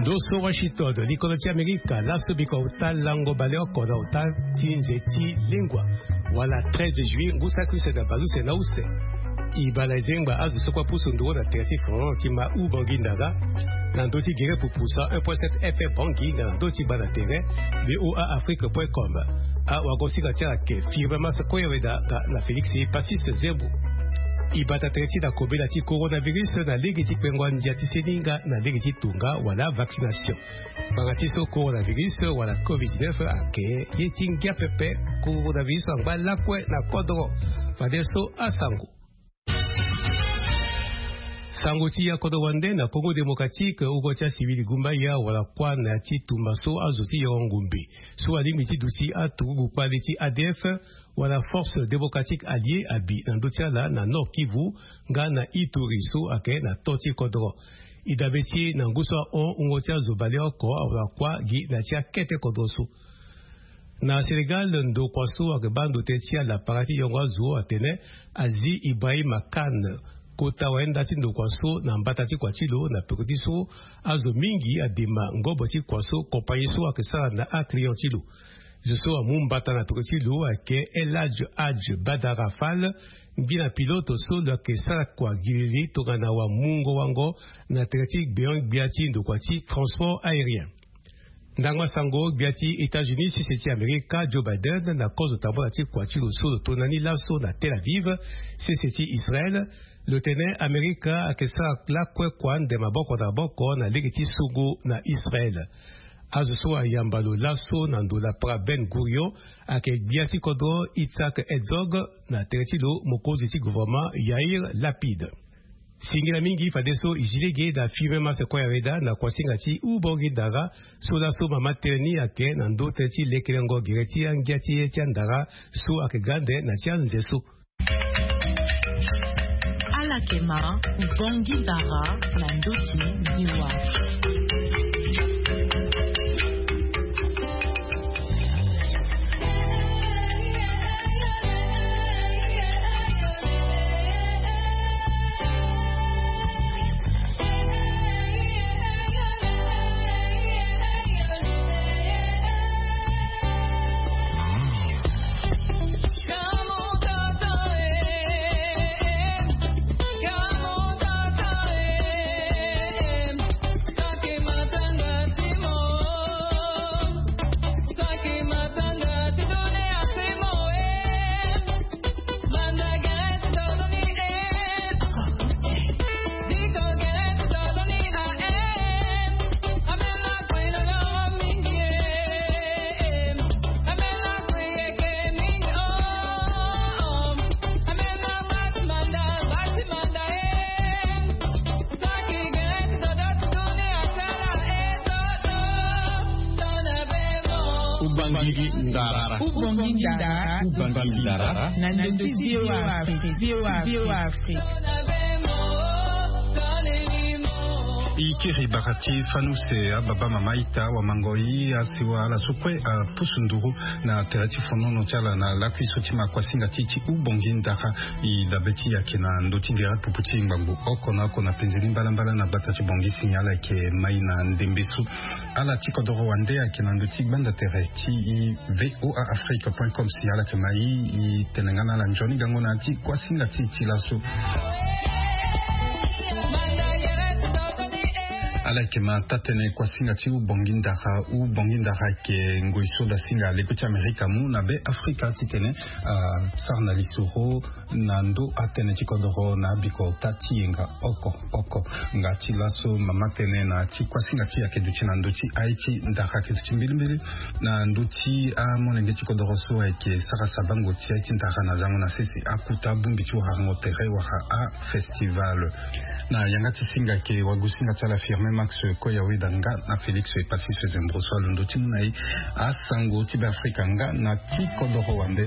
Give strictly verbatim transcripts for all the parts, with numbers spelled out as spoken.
Doso Washington, likolo ti Amerika, laso biko auta lango baleoko na auta ti nze ti lingua, wala treize juillet ngu saki use na baleuse na use. E baa na zengba azo so kue apusu nduru na tere ti France ti ma u Bangui Ndara, na ndö ti gere pupu cent un point sept F M Bangui, nga na ndö ti baa na tere V O A Afrique point com. Awagosinga ti ala ayeke Firmin Mas Koyaweda nga na Félix Passis Zembo. E bata tere ti na kobela ti coronavirus na lege ti kpengo andia ti seni nga na lege ti tonga wala vaccination. Ngbanga ti so coronavirus wala covid dix-neuf ayeke ye ti ngia pepe. Coronavirus angba lakue na kodro. Fadeso asango. Sango ti ya kodro wande na Congo Démocratique, ugo ti acivil gumbaya wala kuâ na ya ti tumba so azo ti yoro ngombe so alingbi ti duti aturugu kpale ti A D F wala Force Démocratique Alliée abi na ndö ti ala na Nord Kivu nga na Ituri so ayeke na to ti kodro. E dabe ti e na ngu so ahon wungo ti azo baleoko awara kuâ gi na ya ti akete kodro so. Na Sénégal, ndokua so ayeke baa ndo tënë ti ala para ti yongo azo atene Aziz Ibrahima Kane, kota wayenda ti ndokua so na mbata ti kua ti lo na peko ti so azo mingi adema ngobo ti kua so compagnie so ayeke sara na aclient ti lo. Zo so amu mbata na peko ti lo ayeke El Hadj Hadj Badara Fall, ngbina pilote so lo yeke sara kua gilili tongana wamungo wango na tere ti gbeon-gbia ti ndokua ti transport aérien. Ndango asango, gbia ti États-Unis, sese ti Amerika, Joe Biden, na kozo tambula ti kua ti lo so lo tona ni laso na Tel Aviv, sese ti Israël, lo tene Amerika ayeke sara lakue kua ande maboko na maboko na lege ti songo na Israël. Azo so ayamba lo laso na ndo lapara Ben Gurion ayeke gbia ti kodro Yitzhak Herzog, na tere ti lo mokonzi ti gouvernement Yair Lapid. Singila mingi fadeso e zi lege na Firmin Mas Koyaweda na kuasinga ti U Bangui Ndara, so laso mama tënë ni ayeke na ndö tënë ti lekelengo gere ti angia ti ye ti andara so ayeke ga ande na ti anze so. Ala yeke ma U Bangui Ndara na ndö ti V O A. Ubangiri ndara. Ubangiri ndara. Ubangiri ndara. Na ndö ti V O A Afrique. V O A Afrique. I kiri bara ti fani use ababa mama ita wamango i asiwa ala so kue apusu nduru na tere ti fonono ti ala na lakui so ti ma kuasinga ti ti Ubangiri ndara. I dabe ti i ayeke na ndö ti gere pupu ti ngbangbo oko na oko na penze ni mbalambala na gbata ti Bangui si nyen ala yeke mai na ndembe so. Ala ti kodoro wande ayeke na ndö ti gbanda tere ti V O A Afrique point com si ala yeke ma i, i tene nga na ala nzoni gango na ya ti kuasinga ti e ti laso. Ala yeke ma taa-tënë kuasinga ti Ubangui ndara. Ubangui ndara ayeke ngoi so dasinga leko ti Amerika amu na be Afrika titene asara na lisoro na ndö atënë ti kodoro na abiko ota ti yenga oko oko. Nga ti laso mama tënë na ti kuasinga ti e ayeke duti na ndö ti aye ti ndara ayeke duti mbilimbili na ndö ti amolenge ti kodoro so ayeke sara sabango ti aye ti ndara na lango na sese akuta abongbi ti warango tere wala afestival. Na yanga ti singa ayeke wagosinga ti ala Firmin Max Koyaweda nga na Félix Epassy Sezembro so alondo ti mu na e asango ti Beafrika nga na ti kodoro wande.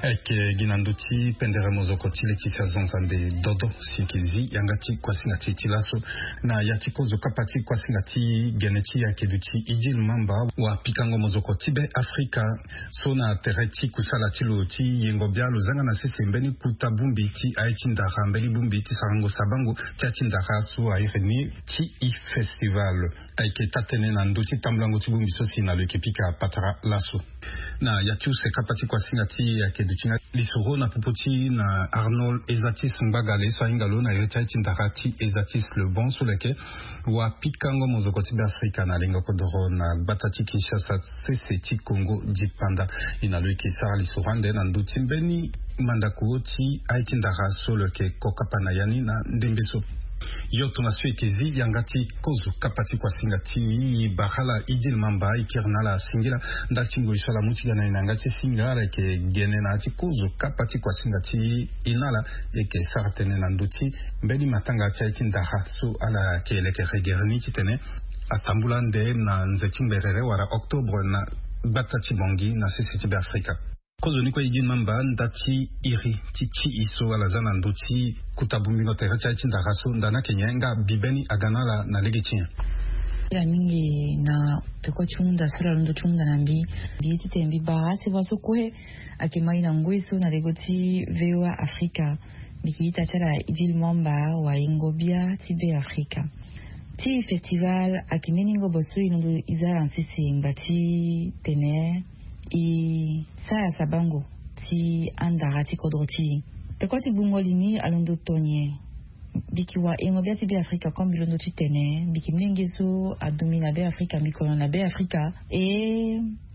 Ayeke Na ndö ti pendere mozoko ti leti si azonza nde dodo si eke zi yanga ti kuasinga ti e ti laso. Na ya ti kozo kapa ti kuasinga ti gene ti ake duti Idil Mamba, wa pikango mozoko ti be Afrika so na tere ti kusala ti lo ti yengo bia lo zanga na sese mbeni kuta bongbi ti aye ti ndara mbeni bongbi ti sarango sabango ti aye ti ndara so airi ni ti e festival. Ayeke taa-tënë na ndö ti tambulango ti bongbi so si na lo yeke pika patara laso. Na ya ti use kapa ti kuasinga ti ake duti nga lisoro na popo ti na Arnold Ezatis Ngbagale so ahinga lo na iri ti aye ti ndara ti Ezatis Le Bon so leke wa pikango mozoko ti be Afrika na lengo kodoro na gbata ti Kinshasa sese ti Congo dipanda. E na lo yeke sara lisoro ande na ndö ti mbeni mandako ti aye ti ndara so lo yeke kokapa na ya ni na ndembe so. Yo tongaso e yeke zi yanga ti kozo kapa ti kuasinga ti e bara ala Idil Mamba e kiri na ala singila ndali ti ngoi so ala mu ti ga na e na yanga ti singa ala yeke gene na ya ti kozo kapa ti kuasinga ti e na ala e yeke sara tënë na ndö ti mbeni matanga ti aye ti ndara so ala yeke leke regere ni titene atambula ande na nze ti ngberere wala octobre na gbata ti Bangui na sese ti be Afrika. Kozoni kue Idil Mamba nda ti iri ti ti e so ala za na ndö ti kuta bongbingo tere ti aye ti ndara so nda ni ayeke nyen nga mbi mbeni aga na ala na lege ti nyen? Ila mingi na peko ti hunda so ala londo ti hunda na mbi. Mbi ye titene mbi bara asiwa so kue ayeke ma e na ngoi so na lego ti VOA Afrika. Mbi yeke ita ti ala Idil Mamba wa yengo bia ti be Afrika. Ti festival ayeke mbeni ngobo so e londo e za ala na sese ngba ti tene e sara sabango ti andara ti kodro ti e. Peko ti gbungo li ni alondo to nyen? Mbi yeke wa yengo bia ti be Afrika comme mbi londo titene mbi yeke molenge so adomi na be Afrika, mbi kono na be Afrika. E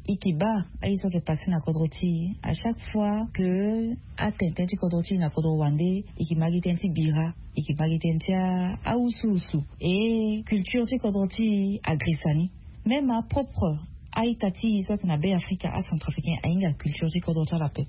e yeke baa aye so ayeke passe na kodro ti e à chaque fois que atene tënë ti kodro ti e na kodro wande, e yeke ma gi tënë ti bira, e yeke ma gi tënë ti a- awusuwusu. E culture ti kodro ti e agrisa ni. Même apropre a-ita ti e so ayeke na be Afrika, acentrafricain, ahinga culture ti kodro ti ala ape.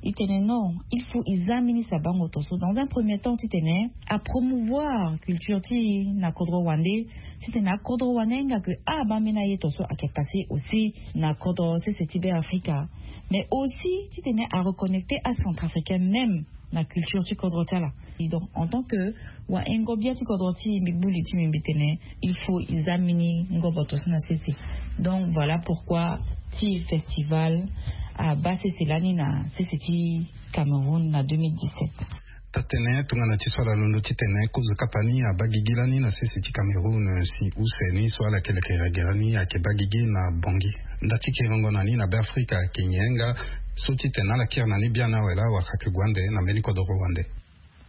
E tene non, il faut e za mbeni sabango to so dans un premier temps titene apromouvoir culture ti e na kodro wande, titene akodro wande ahinga ke abaa mbeni aye to so ayeke passe aussi na kodro sese ti be Afrika. Mais aussi titene areconnecter acentrafricain même na culture ti kodro ti ala. Et donc en tant que wayengo bia ti kodro ti e, mbi gbu li ti mbi mbi tene il faut e za mbeni ngobo to so na sese. Donc voilà pourquoi ti festival abaa sese lani na sese ti Cameroun na deux mille dix-sept. Taa-tënë tongana ti so ala londo titene kozo kapa ni abaa gigi lani na sese ti Cameroun si use ni so ala yeke leke regere ni ayeke baa gigi na Bangui. Nda ti kiringo na ni na be Afrika ayeke nyen nga so titene ala kiri na ni biani awe laa wala ayeke gue ande na mbeni kodoro wande?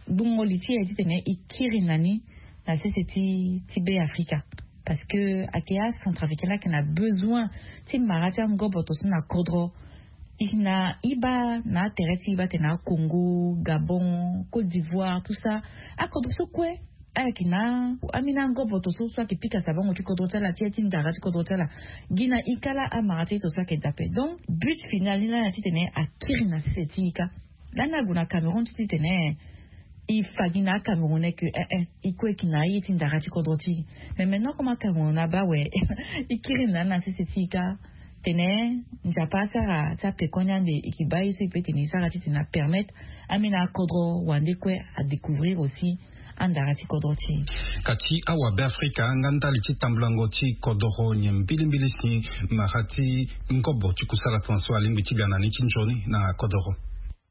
Gbungo li ti e titene e kiri na ni na sese ti ti be Afrika. Parce que ayeke acentrafricain laa ayeke na besoin ti mara ti angobo to so na kodro. E na e baa na atere ti e baa tene aCongo, Gabon, Côte d'Ivoire, tout ça, akodro so kue ala yeke na ambeni angobo to so so ayeke pika sabango ti kodro ti ala ti aye ti ndara ti kodro ti ala. Gi na e ka laa amara ti aye to so ayeke daa ape. Donc but final ni laa na titene akiri na sese ti e ka. Lani ague na Cameroun ti titene e fa gi na aCamerounais ke eh eh e kue e yeke na aye ti ndara ti kodro ti e. Mais maintenant comme aCameroun abaa awe e kiri na ni na sese ti e ka. Tene Nzapa asara ti apekoni ande e yeke baa ye so e peut tene e sara titene apermettre ambeni akodro wande kue adécouvrir aussi andara ti kodro ti e. Kati awa be Afrika nga ndali ti tambulango ti kodoro nyen mbilimbili si mara ti ngobo ti kusala tongaso alingbi ti ga na ni ti nzoni na kodoro?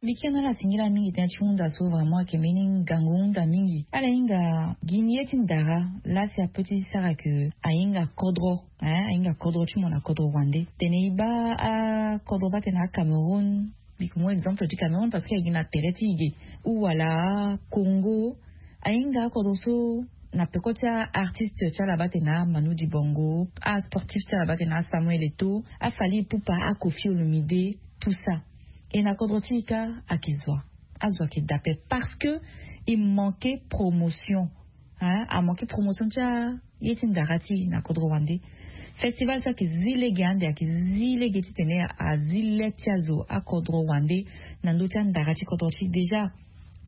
Mbi kiri na ala singila mingi tënë ti hunda so vraiment ayeke mbeni ngangu hunda mingi. Ala hinga gi ni ye ti ndara laa si apeut ti sara ke ahinga kodro, hein, ahinga kodro ti mo na kodro wande. Tene e baa akodro baa tene aCameroun, mbi yeke mu exemple ti Cameroun parce que ayeke gi na tere ti e ge, ou wala aCongo. Ahinga akodro so na peko ti aartiste ti ala baa tene aManu Dibango, asportif ti ala baa tene aSamuel Eto'o, aFally Ipupa, aKoffi Olomide, tout ça. E na kodro ti e ka ayeke zo wa? Azo ayeke daa ape parce que e manquer promotion. Hein, amanquer promotion ti aye ti ndara ti e na kodro wande. Festival so ayeke zi lege ande, ayeke zi lege titene azi le ti azo akodro wande na ndö ti andara ti kodro ti e. Déjà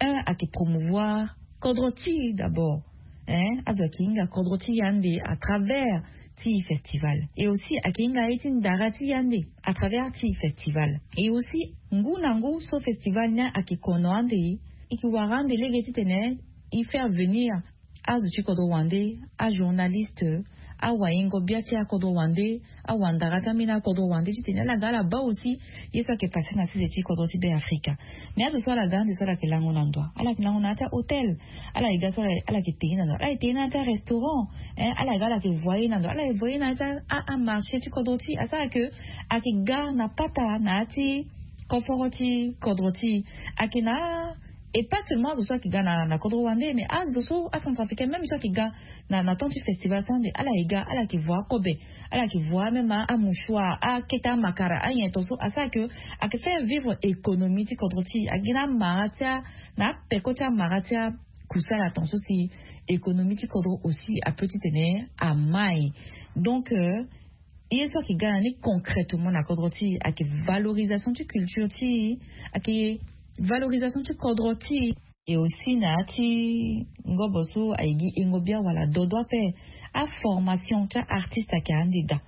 un, ayeke promouvoir kodro ti e d'abord. Hein, azo ayeke hinga kodro ti e ande à travers ti festival. Et aussi ayeke hinga ye ti ndara ti ye ande à travers ti festival. Et aussi ngu na ngu so festival ni ayeke kono ande, e ke wara ande lege titene e faire venir azo ti kodro wande, ajournaliste, awayengo bia ti akodro wande, awandara ti ambeni akodro wande titene ala ga ala baa aussi ye so ayeke passe na sese ti kodro ti Be Afrika. Mais azo so ala ga ande so ala yeke lango na ndo, ala yeke lango na ya ti ahôtel. Ala yeke ga so ala yeke tene na ndo, ala yeke tene na ya ti arestaurant. Hein, ala yeke ga ala yeke voye na ndo, ala yeke voye na ya ti amarché ti kodro ti e. Asara ke ayeke ga na pata na ya ti koforo ti kodro ti e. Ayeke na e pas seulement azo so ayeke ga na na kodro wande, mais azo so acentrafricain même so ayeke ga na na temps ti festival so ande ala yeke ga ala yeke voa akobe, ala yeke voa même amouchoir, akete amakara, anyen ton so. Asara ke ayeke faire vivre économie ti kodro ti e. Ayeke gi na amara ti a na apeko ti amara ti akusala ton so si économie ti kodro aussi apeut titene amai. Donc euh, ye so ayeke ga na ni concrètement na kodro ti e ayeke valorisation ti culture ti e, ayeke valorisation ti kodro ti e. Et aussi na ya ti ngobo so ayeke gi engo bia wala dodo ape, aformation ti aartiste ayeke ande daa.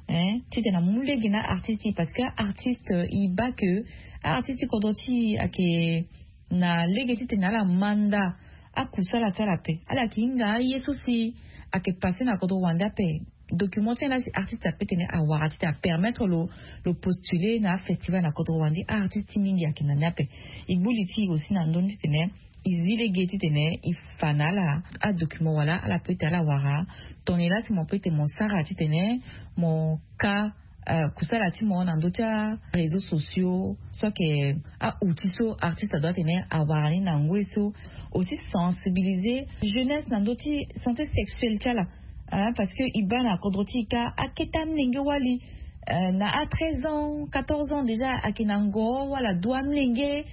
Hein, titene amu lege na aartiste ti e, parce que aartiste e baa ke aartiste ti kodro ti e ayeke na lege titene ala manda akusala ti ala ape. Ala yeke hinga aye so si ayeke passe na kodro wande ape. Document ti ala si artiste ape tene awara titene apermettre lo lo postuler na afestival na kodro wande. Aartiste ti mingi ayeke na ni ape. E gbu li ti e aussi na ndö ni titene e zi lege titene e fa na ala adocument wala ala peut ti ala wara. Tongana la ti mo peut ti mo sara titene mo ka euh, kusala ti mo na ndö ti aréseaux sociaux so ayeke aoutil so artiste adoit tene awara ni na ngoi so. Aussi sensibiliser jeunesse na ndö ti santé sexuelle ti ala. Hein, parce que e baa na kodro ti e ka akete amolenge wali euh, na a treize ans, quatorze ans déjà ayeke na ngo wala dua amolenge.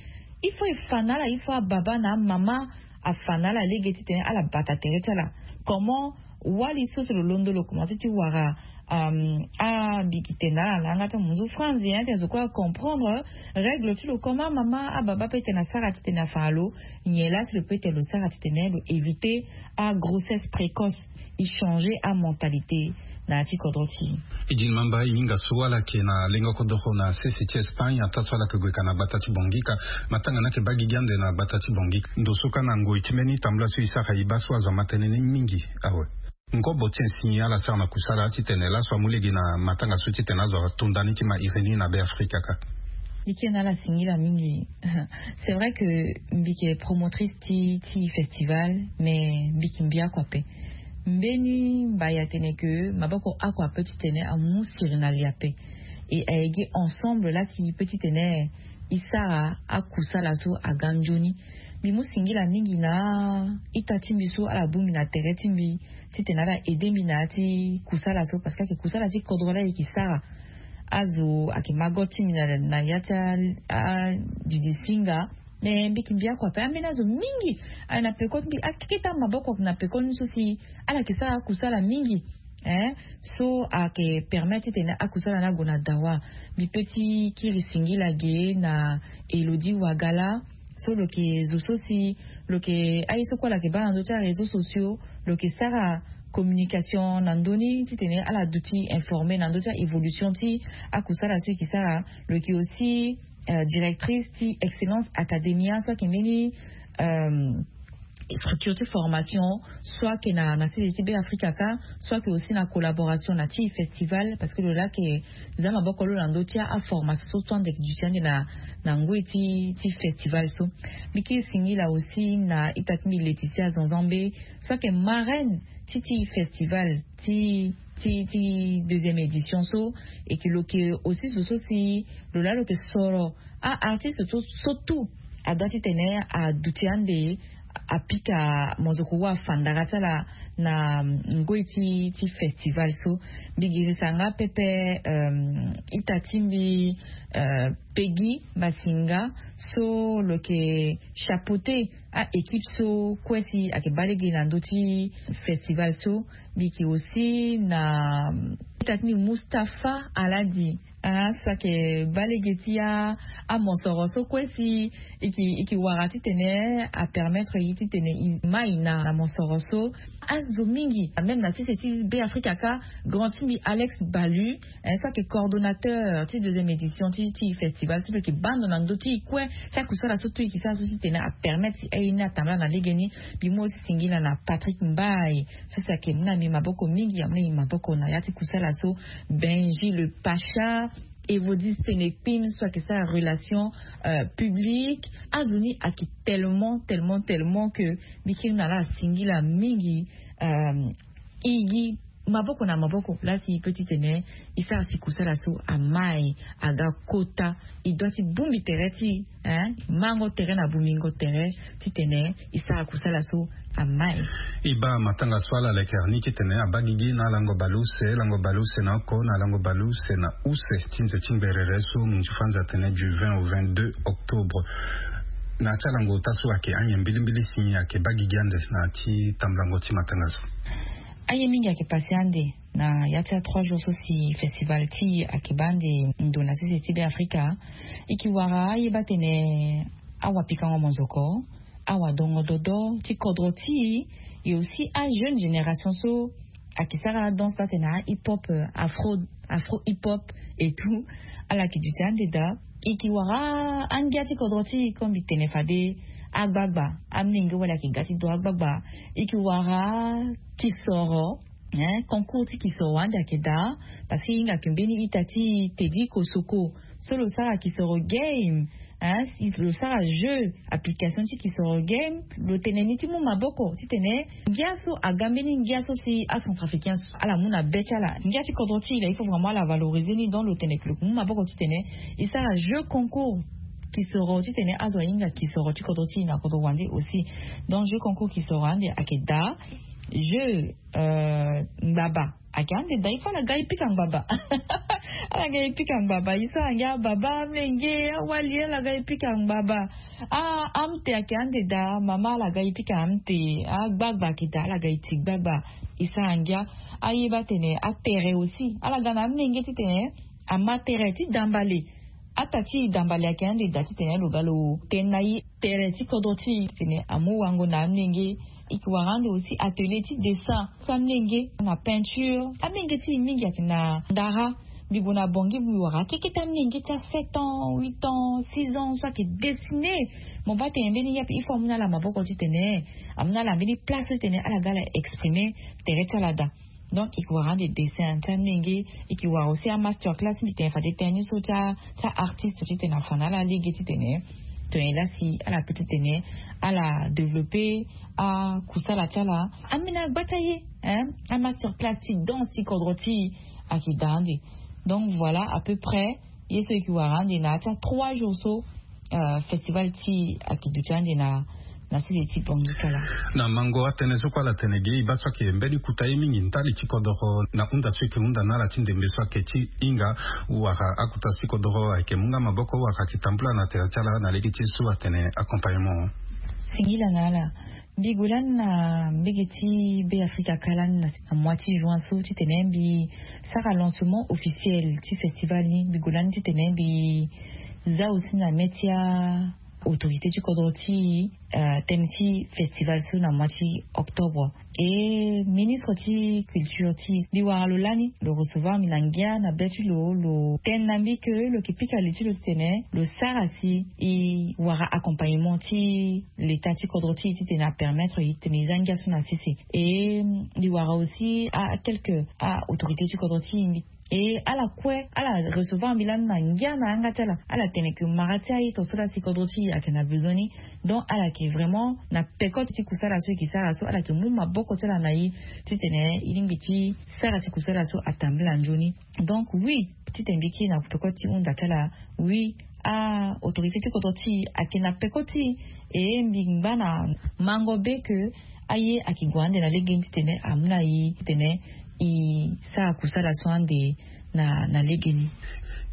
Il faut e fa na ala, il faut ababa na amama afa na ala lege titene ala bata tere ti ala. Comment wali so si lo londo lo commence ti wara euh, abiki tene na ala na yanga ti amunzu franzi, hein, titene zo kue acomprendre règle ti lo. Comment mama ababa peut tene asara titene afa na lo nyen la si lo peut tene lo sara titene lo éviter agrossesse précoce, e changer amentalité na ya ti kodro ti e. E di ni mamba e hinga so ala yeke na lengo kodoro na sese ti Espagne, ataa so ala yeke gue ka na gbata ti Bangui ka. Matanga ni ayeke baa gigi ande na gbata ti Bangui ka. Ndo so ka na ngoi ti mbeni tambula so e sara e baa so azo ama tënë ni mingi awe. Ngobo ti nsin ala sara na kusala titene laso amu lege na matanga so titene azo ato nda ni ti ma iri ni na Be Afrika ka. Mbi ke na ala singila mingi. C'est vrai que mbi ke promotrice ti ti festival, mais mbi ke mbi oko ape. Mbeni mbai atene ke maboko oko ape titene amu siri na li ape. E aye gi ensemble la ti pe titene e sara akusala so aga nzoni. Mbi mu singila mingi na ita ti mbi so ala bongbi na tere ti mbi titene ala aide mbi na ya ti kusala so, parce que ayeke kusala ti kodro la e yeke sara. Azo ayeke mago ti mbi na ya ti adidi singa. Me mbi yeke mbi oko ape, ambeni azo mingi aye na peko ti mbi, akete amaboko na peko ni so si ala yeke sara akusala mingi. Hein, so ayeke permettre titene akusala ni ague na dawa. Mbi pe ti kiri singila ge na Elodie Wagala, so lo yeke zo so si lo yeke aye so kue ala yeke baa na ndö ti aréseaux sociaux, lo yeke sara communication na ndö ni titene ala duti informer na ndö ti a-évolution ti akusala so e yeke sara. Lo yeke aussi euh, directrice ti Excellence Academia, so ayeke mbeni euh, structure ti formation, soit ayeke na na sese ti Be Afrika ka, soit ayeke aussi na collaboration na ti festival, parce que lo laa ayeke za maboko lo na ndö ti aformation so so ande yeke duti ande na na ngoi ti ti festival so. Mbi ke singila aussi na ita ti mbi Laetitia Zanzambe, so ayeke marraine ti ti festival ti ti ti deuxième édition so. E ke lo yeke aussi zo so si lo laa lo yeke soro a-artiste so so tout adoit titene aduti ande apika mozoko wa afandara ti ala na ngoi ti ti festival so. Mbi girisa nga pepe euh, ita ti mbi euh, Peggy Masinga, so lo yeke chapeauter a-équipe so kue si ayeke baa lege na ndö ti festival so. Mbi yeke aussi na ita ti mbi Mustapha Aladi, Ah, so ayeke baa lege ti amosoro so kue si e yeke wara titene apermettre ye titene e mai na mosoro so. Azo mingi même na sese ti Be Afrika kâ, grand ti mbi Alex Balu, so ayeke coordonnateur ti deuxième édition ti festival so mbi yeke baa ndo na ndö ti e kue. Ti akusala so tout e yeke sara so titene apermettre si aye ni atambula na legeni. Mbi mu aussi singila na Patrick Mbaye so si ayeke mu na mbi maboko mingi, amu na mbi maboko na ya ti kusala so. Benji le Pacha, Evodis Tenekpim so ayeke sara relation publique. Azo ni ayeke tellement tellement tellement que mbi kiri na ala asingila mingi. E gi maboko na maboko laa si e peut titene e sara si kusala so amai aga kota. E doit ti bongbi tere ti e, mango tere na bongbingo tere titene e sara kusala so amai. E baa matanga so ala leke ni titene abaa gigi na lango baleuse, lango baleuse na oko na lango baleuse na use ti nze ti ngberere so munzu fanza atene du vingt au vingt-deux octobre. Na ya ti alango ota so ayeke anyen mbilimbili si ayeke baa gigi ande na ya ti tambulango ti matanga so? Aye mingi ayeke pase ande na ya ti a trois jours so si festival ti e ayeke baa ande ndo na sese ti Be Afrika. E yeke wara aye baa tene awapikango monzoko, awadongo dodo ti kodro ti e, e aussi ajeune génération so ayeke sara adanse ti atene ahip hop, afro, afro hip hop et tout. Ala yeke duti ande daa. E yeke wara angia ti kodro ti e comme mbi tene fade, agbagba, amolenge wala ayeke ga ti do agbagba. E yeke wara kisoro, concours ti kisoro ande ayeke daa. Parce que e hinga yeke mbeni ita ti e Teddy Kosoko so lo sara kisoro game, lo sara jeu application ti kisoro game. Lo tene ni ti mu maboko titene ngia so aga mbeni ngia so si acentrafricain so ala mu na be ti ala. Ngia ti kodro ti e laa il faut vraiment ala valoriser ni. Donc lo tene ke lo ke mu maboko titene e sara jeu concours kisoro titene azo ahinga kisoro ti kodro ti e na kodro wande aussi. Donc jeu concours kisoro ande ayeke daa. Jeu ngbaba ayeke ande daa. Il faut ala ga e pika ngbaba. Ala ga e pika ngbaba. E sara ngia baba, amolenge, awali, ala ga e pika ngbaba. Ah, amte ayeke ande daa, mama, ala ga e pika amte. Agbagba ayeke daa, ala ga e ti gbagba. E sara ngia. Aye baa tene atere aussi ala ga na amolenge titene ama tere ti dambale. Ata ti e dambale ayeke ande daa titene lo ga lo tene na e tere ti kodro ti e titene amu wango na amolenge. E yeke wara ande aussi atelier ti dessin ti amolenge na peinture. Amolenge ti e mingi ayeke na ndara. Mbi gue na Bangui, mbi wara akeke ti amolenge ti a sept ans, huit ans, six ans so ayeke dessiner. Mo baa tene mbeni ngia ape il faut amu na ala maboko titene amu na ala mbeni place titene ala ga ala exprimer tere ti ala daa. Donc e yeke wara ande dessin ti amolenge. E yeke wara aussi amaster class, mbi tene fade tënë ni so ti a, ti aartiste titene afa na ala lege titene tongana laa si ala peut titene ala développer akusala ti ala. Ambeni agba ti aye, amaster class ti danse ti kodro ti e ayeke daa ande. Donc voilà à peu près ye so e yeke wara ande na ya ti a trois jours so. Festival ti e ayeke duti ande na na sese ti Bangui kala. Na mango atënë so kue ala tene ge, e baa so ayeke mbeni kota ye mingi ndali ti kodoro na hunda so e yeke hunda na ala ti ndembe so ayeke ti hinga wala akota ti kodoro ayeke mu nga maboko wala ayeke tambula na tere ti ala na lege ti ye so atene accompagnement. Singila na ala. Mbi gue lani na mbege ti Be Afrika kâ lani na mois ti juin so titene mbi sara lancement officiel ti festival ni. Mbi gue lani titene mbi za aussi na mê ti a autorité ti kodro ti e tënë ti festival so na mois ti octobre. E ministre ti culture ti e mbi wara lo lani, lo recevoir mbi na ngia na be ti lo, lo tene na mbi ke lo yeke pika li ti lo titene lo sara si e wara accompagnement ti l'état ti kodro ti e titene apermettre e titene e za ngia so na sese. E mbi wara aussi a quelque a autorité ti kodro ti e mbi e ala kue ala recevoir mbi lani na ngia na yanga ti ala. Ala tene ke mara ti aye to so laa si kodro ti e ayeke na besoin ni. Donc ala yeke vraiment na peko ti kusala so e yeke sara so ala yeke mu maboko ti ala na e titene e lingbi ti sara ti kusala so atambula nzoni. Donc oui, titene mbi kiri na peko ti hunda ti ala. Oui, a autorité ti kodro ti e ayeke na peko ti e. E mbi ngba na mango be ke aye ayeke gue ande na legeni titene amu na e titene e sara kusala so ande na na legeni.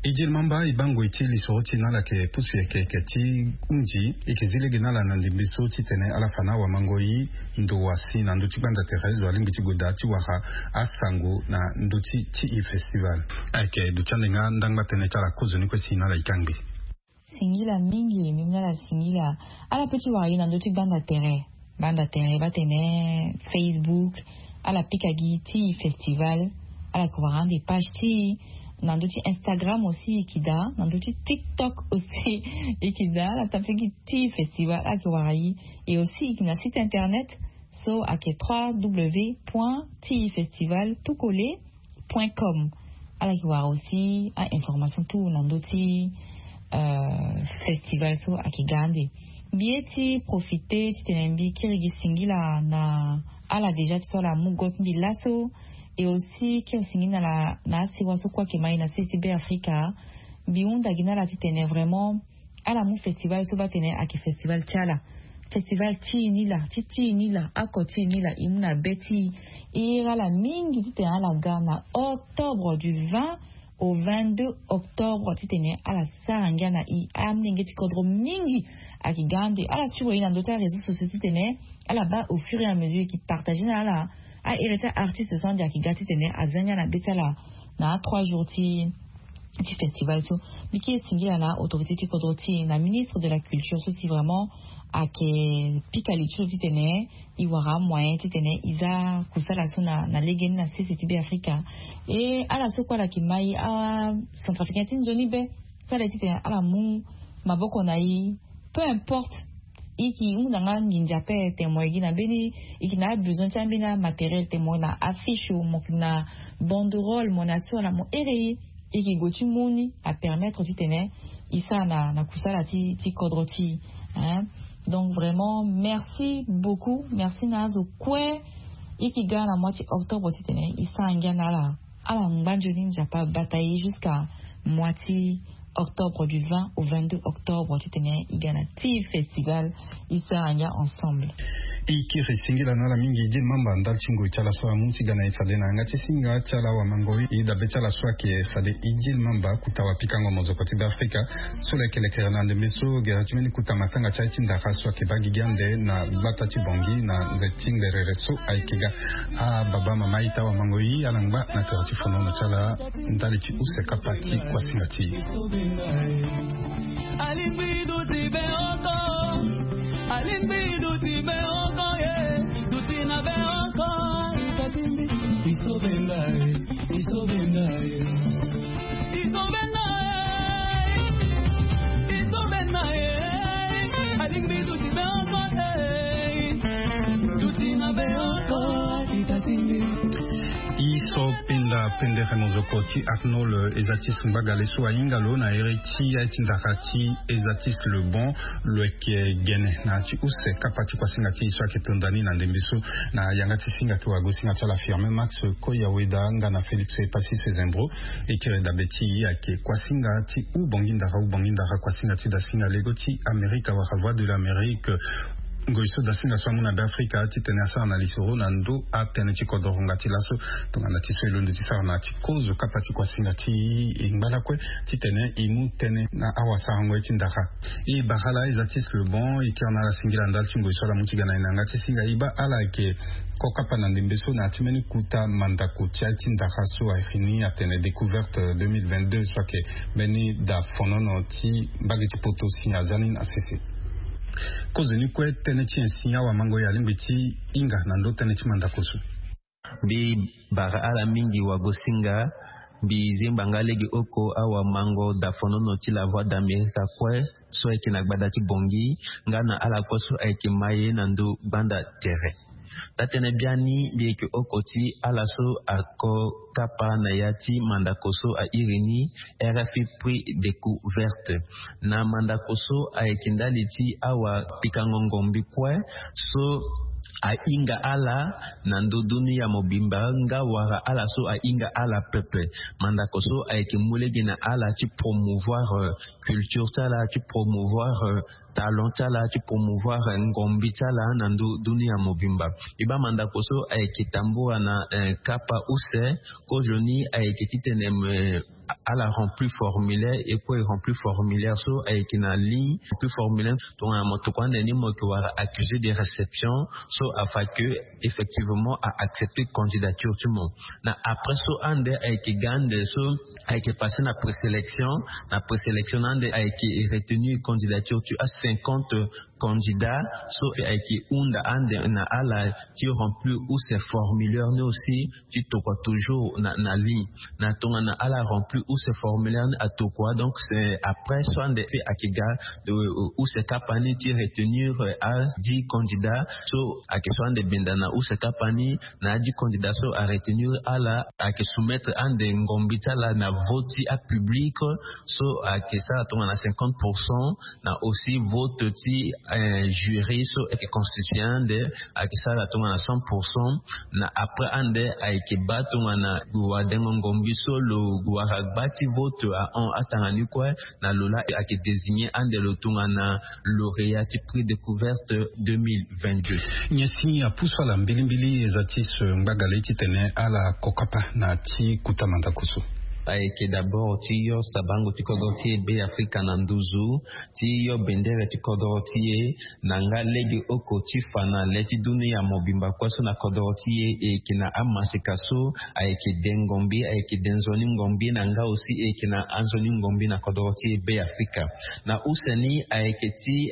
E di mamba e baa ngoi ti lisoro ti e na ala yeke pusu yeke yeke ti hunzi e yeke zi lege na ala na ndembe so titene ala fa na awamangoi ndo asi na ndö ti gbanda tere zo alingbi ti gue daa ti wara asango na ndö ti ti e festival. Ayeke duti ande nga ndangba tënë ti ala kozoni kue si na ala e kangbi. Singila mingi mbi mu na ala singila. Ala pe ti wara gi na ndö ti gbanda tere gbanda tere baa tene Facebook. Ala pika gi ti festival. Ala yeke wara ande page ti na ndö ti Instagram aussi e yeke daa na ndö ti TikTok aussi e yeke daa ala tapiki ti festival ala yeke wara gi. Et aussi e yeke na site internet so ayeke trois w point ti festival tout collé point com. Ala yeke wara aussi a information tout na ndö ti festival so ayeke ga ande. Mbi ye ti profite titene mbi kiri gi singila na ala déjà ti so ala mu go ti mbi laso. Et aussi kiri singila na asiwa so kue ayeke mai na sese ti be afrika. Mbi hunda gi na ala titene vraiment ala mu festival so baa tene ayeke festival ti ala. Festival ti e ni laa ti ti e ni laa oko ti e ni laa e mu na be ti e. E iri ala mingi titene ala ga na octobre du vingt au vingt-deux octobre titene ala sara ngia na e. Amolenge ti kodro mingi ayeke ga ande ala suru e na ndö ti aréseau sociaux titene ala baa au fur et à mesure e yeke partage na ala. Ahere ti aartiste so ande ayeke ga titene aza ngia na be ti ala na atrois jours ti ti festival so. Mbi kiri singila na autorité ti kodro ti e na ministre de la culture so si vraiment ayeke pika li ti lo titene e wara amoyen titene e za kusala so na lege ni na sese ti be afrika. E ala so kue ala yeke mai acentrafricain ti nzoni be so ala ye titene ala mu maboko na e. Peu importe e yeke hunda nga nginza ape tene mo yeke gi na mbeni e yeke na abesoin ti ambeni amatériel tene mo na affiche o mo yeke na banderole mo na so ala mo here e. E yeke gue ti mu ni apermettre titene e sara na kusala ti kodro ti e. Donc vraiment merci beaucoup merci na azo kue. E yeke ga na mois ti octobre titene e sara ngia na ala ala ngba nzoni nzapa bata e jusqu'à mois ti octobre du vingt au vingt-deux octobre titene e ga na ti festival. E sara ngia ensemble. E kiri singila na ala mingi e di mamba ndali ti ngoi ti ala so amu ti ga na e fade na yanga ti singa ti ala awamangoi e dabe ti ala so ayeke fade e di mamba kuta wapikango mozoko ti be afrika. So lo yeke lekere na ndembe so gere ti mbeni kuta matanga ti aye ti ndara so ayeke baa gigi ande na gbata ti bongi na nze ti ngberere so ayeke ga. Ababa mama aita wamangoi ala ngba na tere ti fonono ti ala ndali ti use kapa ti kuasinga ti e. Alingbi duti be oko. Alingbi duti be oko ye. Duti na be oko. Itatimbi. Isobenda e. Isobenda e. Isobenda e. Isobenda e. Alingbi duti be oko e. Duti na be oko. Itatimbi. E so penda pendere mozoko ti Arnold Ezatis Mbagale so ahinga lo na ere ti aye ti ndara ti Ezatis Lebon. Lo yeke gene na ya ti use kapa ti kuasinga ti e so ayeke tonda ni na ndembe so na yanga ti singa ayeke wagosinga ti ala Firmin Max Koyaweda nga na Félix Epasis Zembro. E kiri dabe ti e ayeke kuasinga ti hubongi ndara hubongi ndara kuasinga ti dasinga lego ti Amerika wala Voix de l'Amérique. Ngoi so dasinga so amu na be afrika titene asara na lisoro na ndö atënë ti kodro ngonga ti laso. Tongana ti so e londo ti sara na ya ti kozo kapa ti kuasinga ti e ngba lakue titene e mu tënë na awasarango ye ti ndara. E bara ala Ezatis Lebon e kiri na ala singila ndali ti ngoi so ala mu ti ga na e na yanga ti singa e baa ala yeke kokapa na ndembe so na ya ti mbeni kuta mandako ti aye ti ndara so ayeke ni atene découverte deux mille vingt-deux so ayeke mbeni da fonono ti mbage ti poto si aza ni na sese. Kozoni kue tënë ti nyen si awamangoi alingbi ti hinga na ndö tënë ti mandako so? Mbi bara ala mingi wagosinga. Mbi zengba nga lege oko awamango dafonono ti la Voix d'Amerique kue so ayeke na gbada ti bongi nga na ala kue so ayeke maye na ndö gbanda tere. Taa-tënë biani mbi yeke oko ti ala so ako kapa na ya ti mandako so airi ni R F I Prix Découverte. Na mandako so ayeke ndali ti awapikango ngombi kue so ahinga ala na ndö dunia mobimba nga wala ala so ahinga ala pepe. Mandako so ayeke mu lege na ala ti promouvoir culture ti ala ti promouvoir talent ti ala ti promouvoir ngombi ti ala na ndö dunia mobimba. E baa mandako so ayeke tambula na kapa use. Kozoni ayeke titene me ala remplir formulaire, e kue e remplir formulaire so ayeke na ligne. Remplir formulaire, tongana mo tokua ande ni mo yeke wara accusé de réception, so afa ke effectivement a accepter candidature ti mo. Na après so ande ayeke ga ande so ayeke passer na présélection. Na présélection na ande ayeke retenir candidature ti a cinquante candidat so ayeke hunda ande na ala ti remplir use formulaire ni aussi, ti tokua toujours na, na ligne. Na tongana ala remplir use formulaire ni atokua, donc c'est après so ande ayeke ga use kapa ni ti retenir a dix candidat so ayeke so ande benda na use kapa ni. Na a dix candidat so a retenir ala ayeke soumettre ande ngombi ti ala na vote ti a public so ayeke sara tongana cinquante pour cent. Na aussi vote ti jury so ayeke constituer ande ayeke sara tongana cent pour cent. Na après ande ayeke baa tongana wadengo ngombi so lo wara gba ti vote ahon atanga ni kue. Na lo laa ayeke désigner ande lo tongana lauréat ti prix découverte deux mille vingt-deux. Nyen si apusu ala mbilimbili eza ti so ngbagale titene ala kokapa na ti kuta mandako so? Ayeke d'abord ti yo sabango ti kodro ti e Be Afrika na nduzu, ti yo bendere ti kodro ti e, na nga lege oko ti fa na le ti dunia mobimba kue so na kodro ti e. E yeke na amaseka so ayeke de ngombi, ayeke de nzoni ngombi na nga aussi e yeke na anzoni ngombi na kodro ti e Be Afrika. Na use ni ayeke ti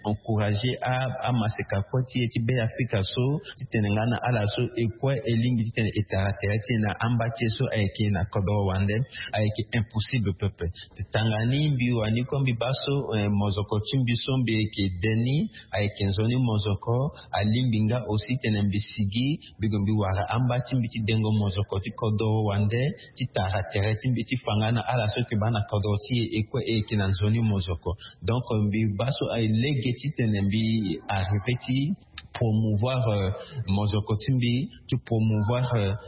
encourager amaseka kue ti e ti Be Afrika so titene nga na ala so e kue e lingbi titene e tara tere ti e na amba ti e so ayeke na kodro wande. Ayeke impossible pepe. Tanga ni mbi wani kue mbi baa so mozoko ti mbi so mbi yeke de ni ayeke nzoni mozoko. Alingbi nga aussi titene mbi sigi mbi gue mbi wara amba ti mbi ti dengo mozoko ti kodro wande, ti tara tere ti mbi ti fa nga na ala so yeke baa na kodro ti e e kue e yeke na nzoni mozoko. Donc mbi baa so aye lege titene mbi arriver ti promouvoir mozoko ti mbi, ti promouvoir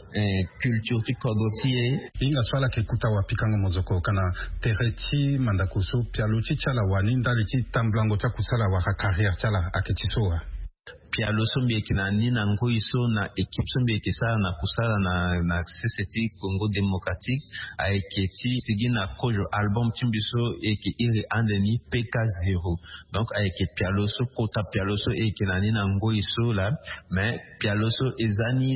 culture ti kodro ti e. Hinga so ala yeke kuta wapikango mozoko kana tere ti mandako so pialo ti ti ala wani ndali ti tambulango ti akusala wala carrière ti ala ayeke ti so wa? Pialo so mbi yeke na ni na ngoi so na équipe so mbi yeke sara na kusala na sese ti Congo démocratique ayeke ti sigi na kozo album ti mbi so e yeke iri ande ni P K zéro. Donc ayeke pialo so kota pialo so e yeke na ni na ngoi so laa. Mais pialo so eza ni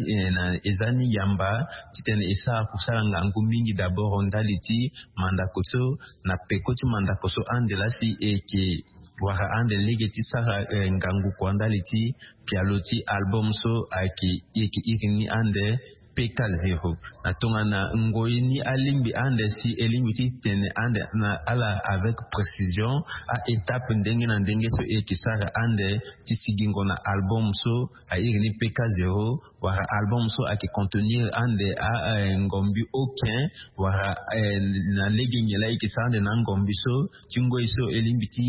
eza ni yamba titene e sara kusala ngangu mingi d'abord ndali ti mandako so na peko ti mandako so ande laa si e yeke wara ande lege ti sara ngangu kua ndali ti pialo ti album so ayeke e yeke iri ni ande P K zéro. Na tongana ngoi ni alingbi ande si e lingbi ti tene ande na ala avec précision a étape ndenge na ndenge so e yeke sara ande ti sigingo na album so a iri ni P K zéro. Wala album so ayeke contenir ande a ngombi okin wala na lege nyen laa e yeke sara ande na ngombi so ti ngoi so e lingbi ti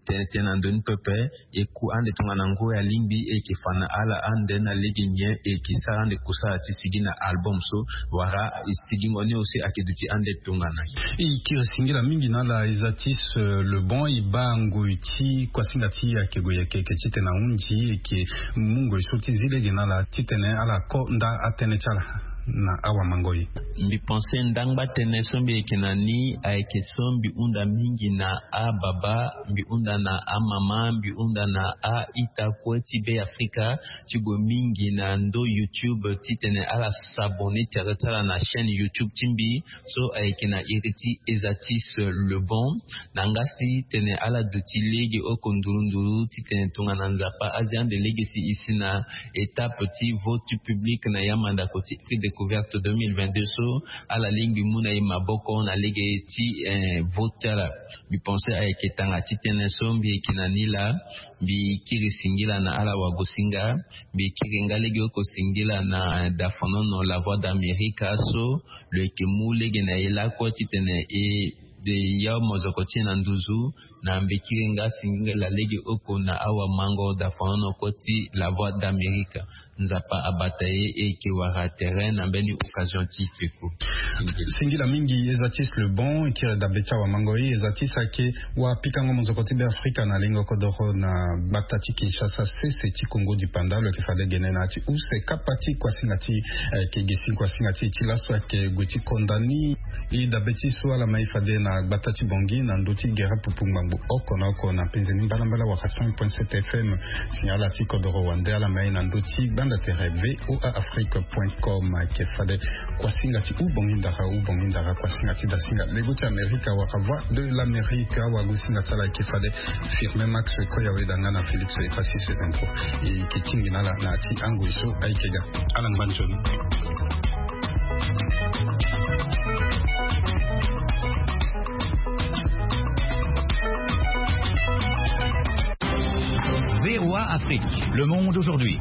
tene tënë na ndoni pepe. E ku ande tongana ngoi alingbi e yeke fa na ala ande na lege nyen e yeke sara ande kusala ti sigi na album so wala e sigingo ni aussi ayeke duti ande tongana. E kiri singila mingi na ala eza ti se le bon e baa ngoi ti kuasinga ti e ayeke gue yeke yeke titene ahunzi e yeke mu ngoi so ti zi lege na ala titene ala ko nda atënë ti ala na awamangoi. Mbi pense ndangba tënë so mbi yeke na ni ayeke so mbi hunda mingi na ababa, mbi hunda na amama, mbi hunda na a-ita kue ti Be Afrika ti gue mingi na ndo YouTube titene ala s'abonner tere ti ala na chaîne YouTube ti mbi so ayeke na iri ti Ezatis Le Bon. Na nga si tene ala duti lege oko nduru nduru titene tongana Nzapa azi ande lege si e si na étape ti vote public na ya mandako ti prix découverte deux mille vingt-deux so ala lingbi mu na e maboko na lege ti vote ti ala. Mbi pense ayeke tanga ti tënë so mbi yeke na ni laa. Mbi kiri singila na ala wagosinga. Mbi kiri nga lege oko singila na dafonono La Voix d'Amerique so lo yeke mu lege na e lakue titene e De ya mozoko ti e na nduzu na mbekiri nga singila lege oko na awa mango da fano na koti la voix d'Amérique. Nzapa abata ye e ke wara terrain na mbeni occasion ti feko. Singila mingi eza ti le bon kiri dabe ti awa mango ye eza ti sake. Wa pikango mozoko ti be afrika na lingo kodoro na gbata ti kinshasa sese ti kongo di panda lo ke fade gene na ti use kapa ti kuasinga ti eh, ke gesi kuasinga ti ti laso ake gue ti konda ni. I dabe ti so ala mai fade na gbata ti bongi na ndö ti gere pupu ngbangbo oko na oko na penze ni mbalambala waka cent point sept fm. Signal ala ti kodoro wande ala mai na ndö ti gbanda tere voa afrique point com ake fade. Kuasinga ti u bongi ndara u bongi ndara kuasinga ti dasinga lego ti amerika waka voix de l'amérique awagu singa ti ala ake fade. Firme max koya weda nga na félix epasis info. E ke tingina ala na ya ti angoi so aike ga. Ala ngba nzoni. Voa Afrique, le monde aujourd'hui.